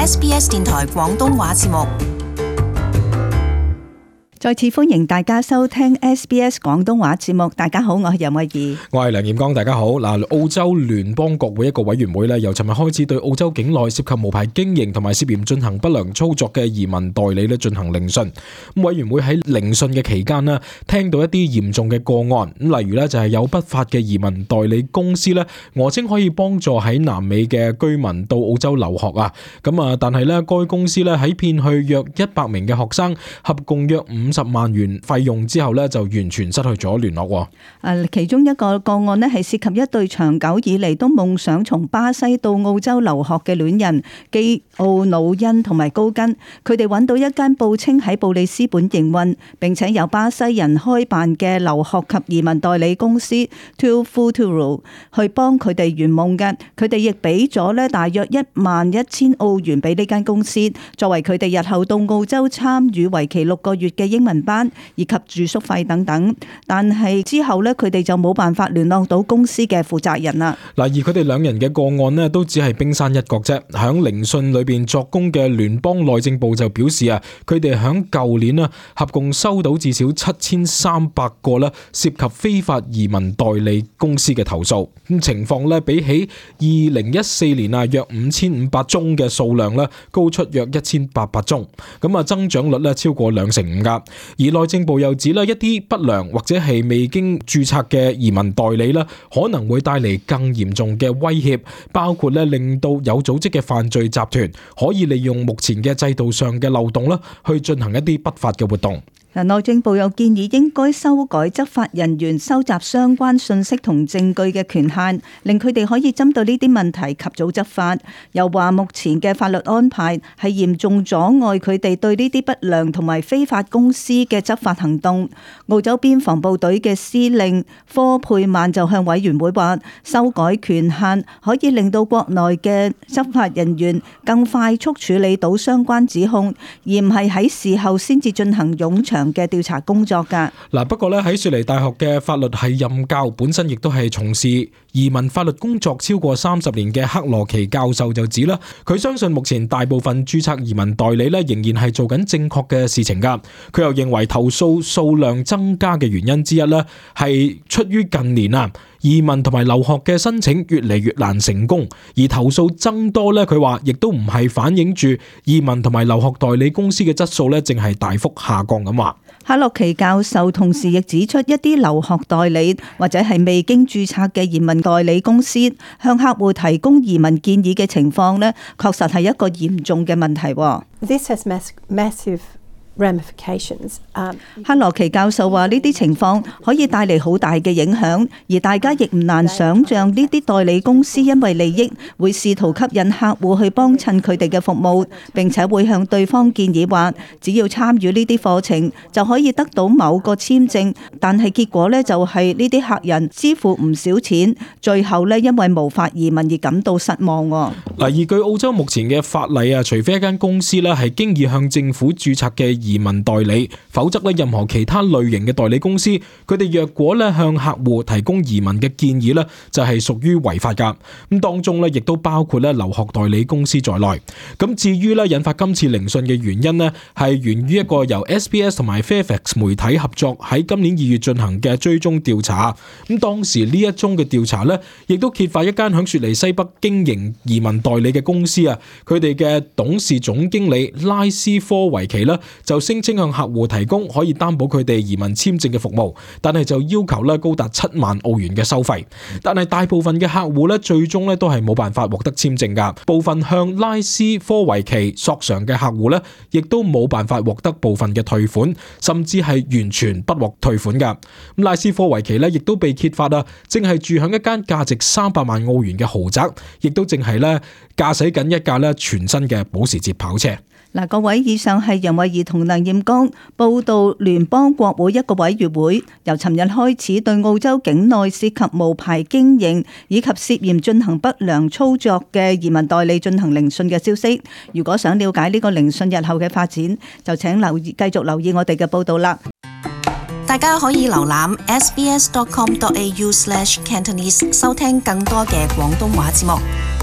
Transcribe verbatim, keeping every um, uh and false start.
S B S 電台廣東話節目。再次歡迎大家收聽 S B S 廣東話節目。大家好，我係任慧儀，我係梁彥剛。大家好。嗱，澳洲聯邦國會一個委員會咧，由尋日開始對澳洲境內涉及無牌經營同埋涉嫌進行不良操作嘅移民代理咧進行聆訊。咁委員會喺聆訊嘅期間咧，聽到一啲嚴重嘅個案，咁例如咧就係有不法嘅移民代理公司咧，訛稱可以幫助喺南美嘅居民到澳洲留學啊。咁啊，但係咧該公司咧喺騙去約一百名嘅學生，合共約五十萬元費用之後咧，就完全失去咗聯絡。誒，其中一個個案咧係涉及一對長久以嚟都夢想從巴西到澳洲留學嘅戀人基奧努恩同埋高根，佢哋揾到一間報稱喺布里斯本營運，並且由巴西人開辦嘅留學及移民代理公司 To Futuro 去幫佢哋圓夢嘅。佢哋亦俾咗咧大約一萬一千澳元俾呢間公司，作為佢哋日後到澳洲參與為期六個月嘅英文班以及住宿費等等，但係之後咧，佢哋就冇辦法聯絡到公司嘅負責人啦。嗱，而佢哋兩人嘅個案咧，都只係冰山一角啫。響聆訊裏邊作供嘅聯邦內政部就表示啊，佢哋響舊年啊，合共收到至少七千三百個咧涉及非法移民代理公司嘅投訴。咁情況咧，比起二零一四年啊約五千五百宗嘅數量咧，高出約一千八百宗。咁啊，增長率咧超過兩成五噶。而內政部又指咧，一啲不良或者係未經註冊嘅移民代理咧，可能會帶嚟更嚴重嘅威脅，包括咧令到有組織嘅犯罪集團可以利用目前嘅制度上嘅漏洞啦，去進行一啲不法嘅活動。內政部又建議應該修改執法人員收集相關信息同證據嘅權限，令佢哋可以針對呢啲問題及早執法。又話目前嘅法律安排係嚴重阻礙佢哋對呢啲不良同埋非法公司嘅執法行動。澳洲邊防部隊嘅司令科佩曼就向委員會話，修改權限可以令到國內嘅執法人員更快速處理到相關指控，而唔係喺事後先至進行冗長嘅調查工作噶。嗱，不過咧喺雪梨大學嘅法律系任教，本身亦都係從事移民法律工作超過三十年嘅克羅奇教授就指啦，佢相信目前大部分註冊移民代理咧仍然係做緊正確嘅事情噶。佢又認為投訴數量增加嘅原因之一咧係出於近年啊移民同埋留學嘅申請越嚟越難成功，而投訴增多咧，佢話亦都唔係反映住移民同埋留學代理公司嘅質素咧正係大幅下降咁話。克洛奇教授同時亦指出，一啲留學代理或者係未經註冊嘅移民代理公司向客戶提供移民建議嘅情況呢，確實係一個嚴重嘅問題。This has massive ramifications. Um, 克羅奇教授話呢啲情況可以帶嚟好大嘅影響，而大家亦唔難想像呢啲代理公司因為利益會試圖吸引客戶去幫襯佢哋嘅服務，並且會向對方建議話只要參與呢啲課程就可以得到某個簽證，但係結果呢，就係呢啲客人支付唔少錢，最後呢，因為無法移民而感到失望。嗱，而據澳洲目前嘅法例啊，除非一間公司呢係經已向政府註冊嘅移民代理，否則咧任何其他類型嘅代理公司，佢哋若果咧向客戶提供移民嘅建議咧，就係屬於違法噶。咁當中咧亦都包括咧留學代理公司在內。咁至於咧引發今次聆訊嘅原因咧，係源於一個由 S B S 同埋 Fairfax 媒體合作喺今年二月進行嘅追蹤調查。咁當時呢一宗嘅調查咧，亦都揭發一間響雪梨西北經營移民代理嘅公司啊，佢哋嘅董事總經理拉斯科維奇咧就就聲稱向客戶提供可以擔保佢哋移民簽證嘅服務，但係就要求咧高達七萬澳元嘅收費。但係大部分嘅客戶咧最終咧都係冇辦法獲得簽證噶。部分向拉斯科維奇索償嘅客戶咧，亦都冇辦法獲得部分嘅退款，甚至係完全不獲退款噶。咁拉斯科維奇咧亦都被揭發啊，正係住響一間價值三百萬澳元嘅豪宅，亦都正係咧駕駛緊一架咧全新嘅保時捷跑車。嗱，各位，以上係任慧儀同梁艷剛報道聯邦國會一個委員會由尋日開始對澳洲境內涉及無牌經營以及涉嫌進行不良操作嘅移民代理進行聆訊嘅消息。如果想了解呢個聆訊日後嘅發展，就請留意繼續留意我哋嘅報道啦。大家可以瀏覽 s b s dot com dot a u slash cantonese 收聽更多嘅廣東話節目。